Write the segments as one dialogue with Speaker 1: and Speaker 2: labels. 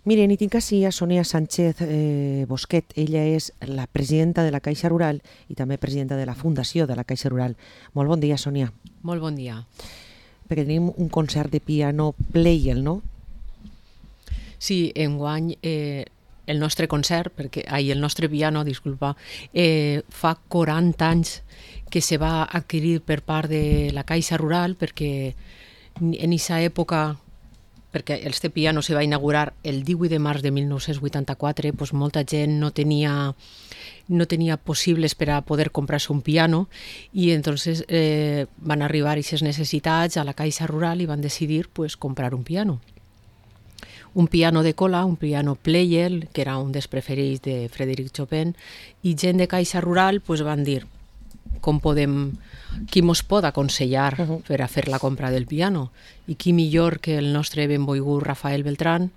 Speaker 1: Miren, i tinc així a Sonia Sánchez Bosquet. Ella és la presidenta de la Caixa Rural i també presidenta de la Fundació de la Caixa Rural. Molt bon dia, Sonia.
Speaker 2: Molt bon dia.
Speaker 1: Perquè tenim un concert de piano Pleyel, no?
Speaker 2: Sí, enguany el nostre concert, el nostre piano, disculpa, fa 40 anys que se va adquirir per part de la Caixa Rural, perquè en aquesta època, perquè este piano se va inaugurar el 18 de març de 1984, doncs molta gent no tenia possibles per a poder comprar-se un piano i entonces van arribar aquestes necessitats a la Caixa Rural i van decidir pues, comprar un piano. Un piano de cola, un piano Pleyel, que era un dels preferits de Frédéric Chopin, i gent de Caixa Rural pues, van dir qui mos pot aconsellar per a fer la compra del piano. I qui millor que el nostre benvolgut Rafael Beltrán,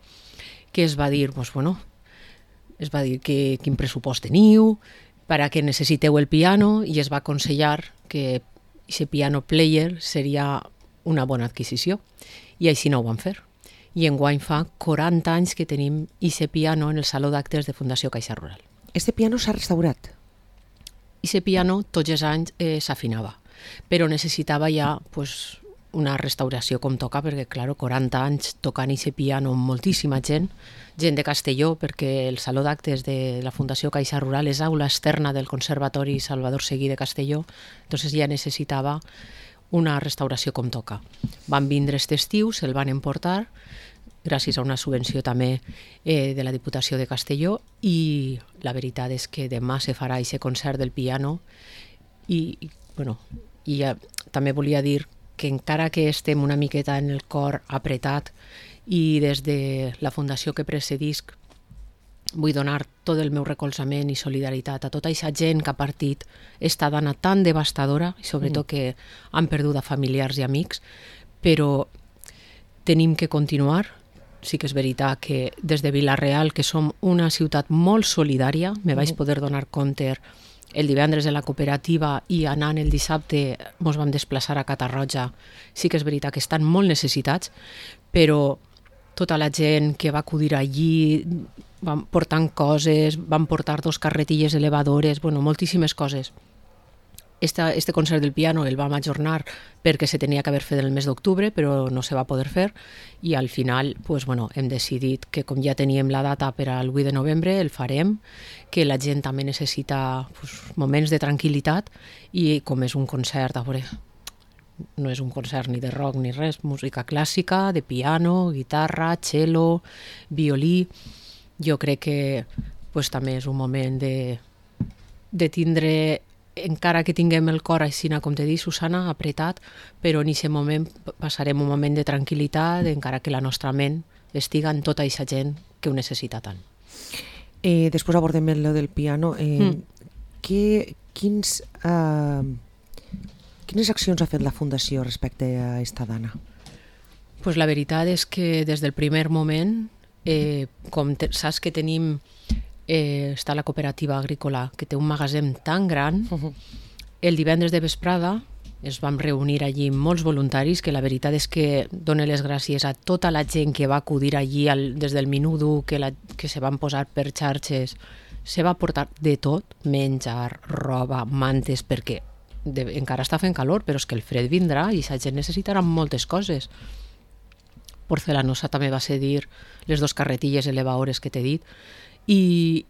Speaker 2: que es va dir, quin pressupost teniu, per a què necessiteu el piano, i es va aconsellar que aquest piano Pleyel seria una bona adquisició. I així no ho van fer. I enguany fa 40 anys que tenim aquest piano en el Saló d'Actes de Fundació Caixa Rural.
Speaker 1: Este piano s'ha restaurat?
Speaker 2: Aquest piano tots els anys s'afinava, però necessitava ja pues, una restauració com toca, perquè, clar, 40 anys tocant aquest piano amb moltíssima gent de Castelló, perquè el Saló d'Actes de la Fundació Caixa Rural és aula externa del Conservatori Salvador Seguí de Castelló, doncs ja necessitava una restauració com toca. Van vindre aquest estiu, se'l van emportar, gràcies a una subvenció també de la Diputació de Castelló, i la veritat és que demà se farà aquest concert del piano i també volia dir que encara que estem una miqueta en el cor apretat i des de la fundació que precedisc vull donar tot el meu recolzament i solidaritat a tota aquesta gent que ha partit esta dana tan devastadora i sobretot que han perdut a familiars i amics, però tenim que continuar. Sí que és veritat que des de Vila-real, que som una ciutat molt solidària, me vaig poder donar compte el divendres de la cooperativa i anant el dissabte ens vam desplaçar a Catarroja. Sí que és veritat que estan molt necessitats, però tota la gent que va acudir allí van portant coses, van portar 2 carretilles elevadores, moltíssimes coses. Este concert del piano el vam ajornar perquè se tenia que haver fet el mes d'octubre, però no se va poder fer, i al final hem decidit que com ja teníem la data per al 8 de novembre el farem, que la gent també necessita moments de tranquil·litat, i com és un concert, a veure, no és un concert ni de rock ni res, música clàssica, de piano, guitarra, cello, violí. Jo crec que també és un moment de tindre, encara que tinguem el cor així, com te dic, Susana, apretat, però en aquest moment passarem un moment de tranquil·litat, encara que la nostra ment estiga en tota aquesta gent que ho necessita tant.
Speaker 1: Després abordem el del piano. Quines accions ha fet la Fundació respecte a esta dana?
Speaker 2: Pues la veritat és que des del primer moment, com saps que tenim, està la cooperativa agrícola, que té un magatzem tan gran, el divendres de vesprada es vam reunir allí molts voluntaris, que la veritat és que dono les gràcies a tota la gent que va acudir allí des del minut 1 que se van posar per xarxes. Se va portar de tot, menjar, roba, mantes, perquè encara està fent calor, però és que el fred vindrà i la gent necessitarà moltes coses. Porcelanosa també va cedir les 2 carretilles elevadores que t'he dit, i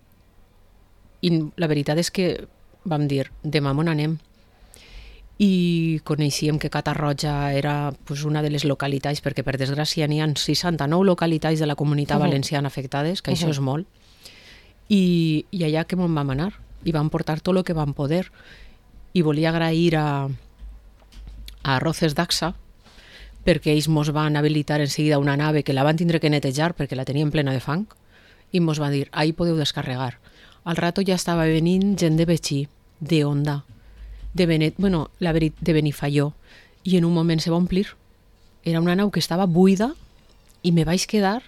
Speaker 2: la veritat és que vam dir, demà on anem? I coneixíem que Catarroja era una de les localitats, perquè per desgràcia n'hi ha 69 localitats de la Comunitat Valenciana afectades, que això és molt, i allà que vam anar, i vam portar tot el que vam poder. I volia agrair a Arroces d'Axa, perquè ells mos van habilitar en seguida una nave que la van tindre que netejar perquè la tenien plena de fang, i mos va dir, ahí podeu descarregar. Al rato ja estava venint gent de Betxí, de Onda, de Benifaió, i en un moment se va omplir. Era una nau que estava buida i me vaig quedar,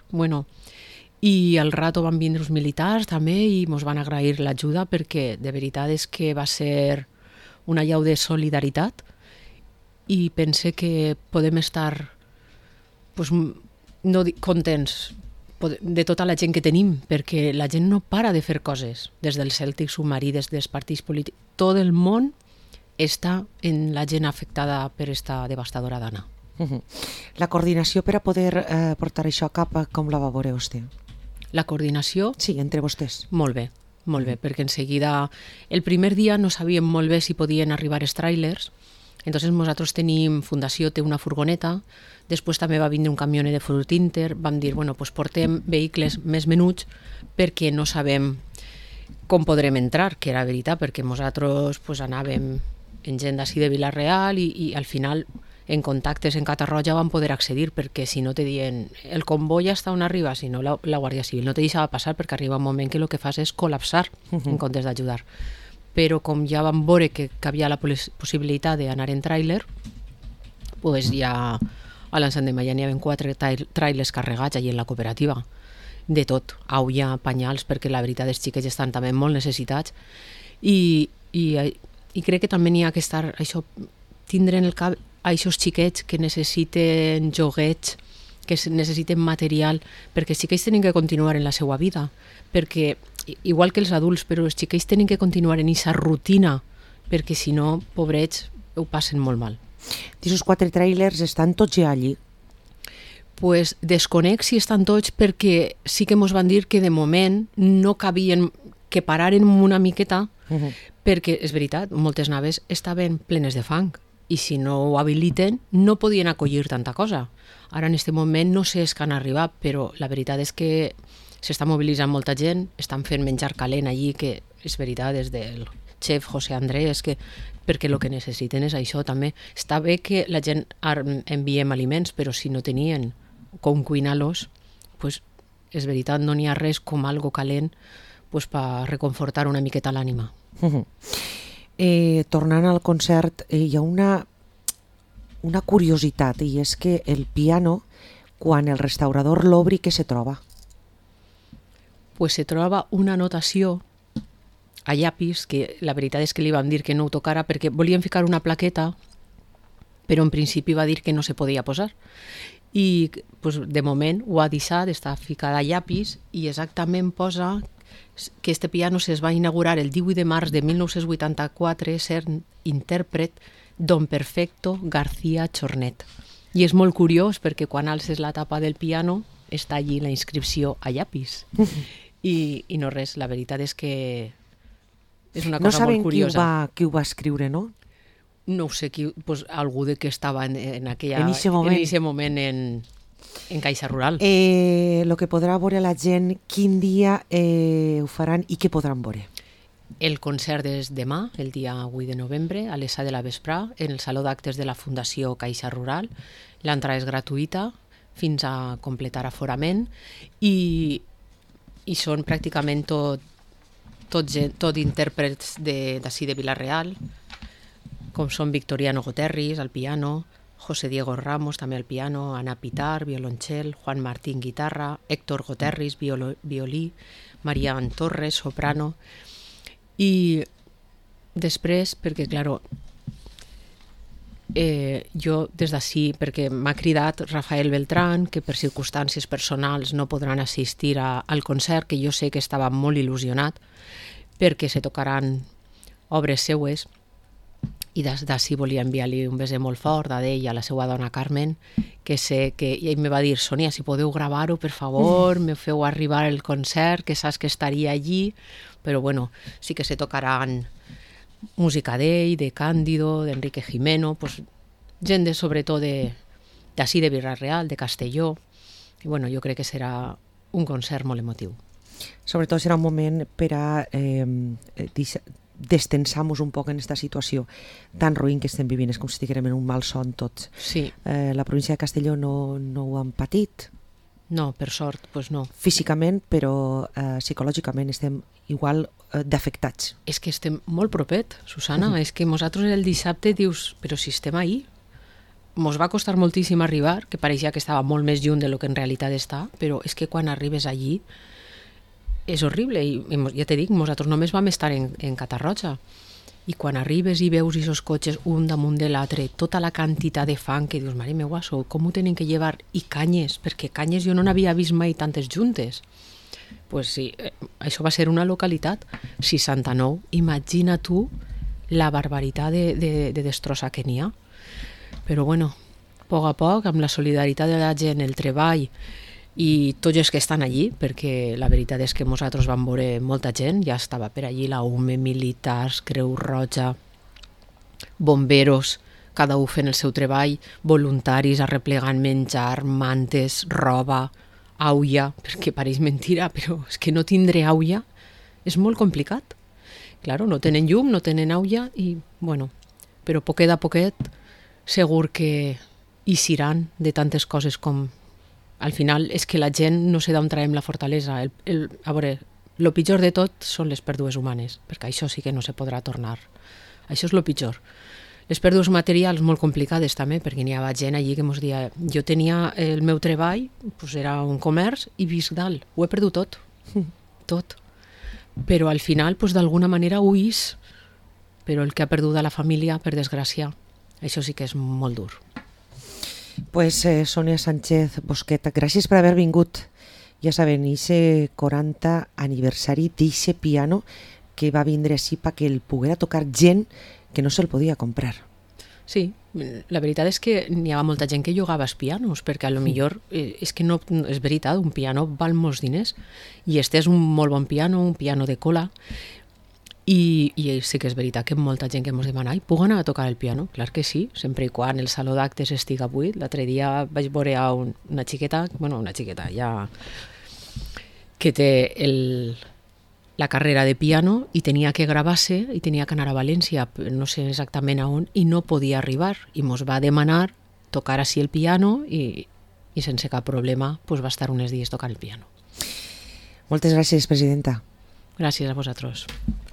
Speaker 2: i al rato van vindre els militars també i mos van agrair l'ajuda, perquè de veritat és que va ser una llau de solidaritat, i pense que podem estar no contents, de tota la gent que tenim, perquè la gent no para de fer coses, des del Cèltic submarí, des dels partits polítics, tot el món està en la gent afectada per esta devastadora dana.
Speaker 1: La coordinació per a poder portar això a cap, com la va veure vostè?
Speaker 2: La coordinació?
Speaker 1: Sí, entre vostès.
Speaker 2: Molt bé, perquè en seguida, el primer dia no sabíem molt bé si podien arribar els tràilers, entonces nosaltres tenim, Fundació té una furgoneta, després també va vindre un camioner de Fruit Inter, vam dir, bueno, pues portem vehicles més menuts perquè no sabem com podrem entrar, que era veritat, perquè nosaltres pues, anàvem en gent d'ací de Vila-real i al final en contactes en Catarroja van poder accedir, perquè si no te diuen el comboi està on arriba, si no la Guàrdia Civil no te deixava passar, perquè arriba un moment que el que fas és col·lapsar en comptes d'ajudar. Però com ja vam veure que havia la possibilitat d'anar en tràiler, pues ja a l'Ensandema ja n'hi havia 4 tràilers carregats allà en la cooperativa, de tot, aulla, panyals, perquè la veritat els xiquets estan també molt necessitats i crec que també n'hi ha que estar, això, tindre en el cap a aquests xiquets que necessiten joguets, que necessiten material, perquè els xiquets tenen que continuar en la seva vida, perquè igual que els adults, però els xiquets tenen que continuar en aquesta rutina, perquè si no, pobrets, ho passen molt mal.
Speaker 1: D'aquests 4 tràilers estan tots ja allí?
Speaker 2: Pues desconec si estan tots, perquè sí que ens van dir que de moment no cabien, que pararen una miqueta, perquè és veritat, moltes naves estaven plenes de fang i si no ho habiliten no podien acollir tanta cosa. Ara en aquest moment no sé que han arribat, però la veritat és que s'està mobilitzant molta gent, estan fent menjar calent allí, que és veritat, des del xef José Andrés, perquè el que necessiten és això també. Està bé que la gent enviem aliments, però si no tenien com cuinar-los, pues, és veritat, no n'hi ha res com algo calent pues, per reconfortar una miqueta l'ànima.
Speaker 1: Tornant al concert, hi ha una curiositat, i és que el piano, quan el restaurador l'obri, què se troba?
Speaker 2: Pues se troba una anotació a llapis, que la veritat és que li vam dir que no ho tocara perquè volíem ficar una plaqueta, però en principi va dir que no se podia posar. I pues, de moment ho ha deixat, està ficada a llapis i exactament posa que este piano es va inaugurar el 18 de març de 1984 sent intèrpret Don Perfecto García Chornet. I és molt curiós perquè quan alces la tapa del piano està allí la inscripció a llapis. I no res, la veritat és que és una cosa molt curiosa.
Speaker 1: No saben qui ho va escriure, no?
Speaker 2: No ho sé, pues, algú de que estava en aquest moment en Caixa Rural.
Speaker 1: El que podrà veure la gent, quin dia ho faran i què podran veure?
Speaker 2: El concert és demà, el dia 8 de novembre, a les 7 de la vesprà, en el Saló d'Actes de la Fundació Caixa Rural. L'entrada és gratuïta fins a completar aforament i són pràcticament tot intèrprets d'ací de Vila-real, com són Victoriano Goterris al piano, José Diego Ramos també al piano, Ana Pitar, violoncel, Juan Martín guitarra, Héctor Goterris, violí, Marian Torres, soprano. I després, perquè, claro, jo des d'ací, perquè m'ha cridat Rafael Beltrán, que per circumstàncies personals no podran assistir al concert, que jo sé que estava molt il·lusionat, perquè se tocaran obres seues, i des d'ací volia enviar-li un bese molt fort a ell i a la seva dona Carmen, que sé que ell me va dir, Sònia, si podeu gravar-ho, per favor, me feu arribar el concert, que saps que estaria allí, però bueno, sí que se tocaran música d'ell, de Cándido, d'Enrique Jimeno, pues, gent sobretot d'ací de Vila-real, de Castelló, i bueno, jo crec que serà un concert molt emotiu.
Speaker 1: Sobretot serà un moment per a destensar-nos un poc en aquesta situació tan ruïn que estem vivint. És com si estiguérem en un mal son tots.
Speaker 2: Sí.
Speaker 1: La província de Castelló no ho han patit.
Speaker 2: No, per sort, doncs no.
Speaker 1: Físicament, però psicològicament estem igual d'afectats.
Speaker 2: És que estem molt propet, Susana. És que nosaltres el dissabte dius, però si estem ahí, mos va costar moltíssim arribar, que pareixia que estava molt més lluny de lo que en realitat està, però és que quan arribes allí és horrible. I ja t'he dit, nosaltres només vam estar en Catarroja. i quan arribes i veus aquests cotxes un damunt de l'altre, tota la quantitat de fang que dius, mare meua, com ho tenen que llevar? I canyes, perquè canyes jo no n'havia vist mai tantes juntes. Pues sí, això va ser una localitat, 69. Imagina tu la barbaritat de destrossa que n'hi ha. Però bueno, a poc, amb la solidaritat de la gent, el treball i tots els que estan allí, perquè la veritat és que nosaltres vam veure molta gent, ja estava per allí la UME, militars, Creu Roja, bomberos, cada un fent el seu treball, voluntaris arreplegant menjar, mantes, roba, aulla, perquè pareix mentira, però és que no tindre aulla és molt complicat. Claro, no tenen llum, no tenen aulla i, bueno, però poquet a poquet segur que eixiran de tantes coses com... Al final és que la gent no sé d'on traiem la fortalesa. A veure, el pitjor de tot són les pèrdues humanes, perquè això sí que no se podrà tornar. Això és el pitjor. Les pèrdues materials molt complicades també, perquè n'hi havia gent allí que ens deia jo tenia el meu treball, doncs era un comerç i visc dalt, ho he perdut tot, tot. Però al final, doncs, d'alguna manera ho és, però el que ha perdut a la família, per desgràcia, això sí que és molt dur.
Speaker 1: Pues Sonia Sánchez Bosquet, gràcies per haver vingut. Ja saben, ese 40 aniversari d'eixe piano que va vindre així perquè el poguera tocar gent que no se'l podia comprar.
Speaker 2: Sí, la veritat és que n'hi havia molta gent que jugava als pianos, perquè a lo millor és que no és veritat, un piano val molts diners i este és un molt bon piano, un piano de cola, i sí que és veritat que molta gent que ens demana puc anar a tocar el piano? Clar que sí, sempre i quan el saló d'actes estiga buit. L'altre dia vaig veure a una xiqueta ja que té la carrera de piano i tenia que gravar-se i tenia que anar a València, no sé exactament a on, i no podia arribar. I ens va demanar tocar així el piano i sense cap problema va estar uns dies tocant el piano.
Speaker 1: Moltes gràcies, presidenta.
Speaker 2: Gràcies a vosaltres.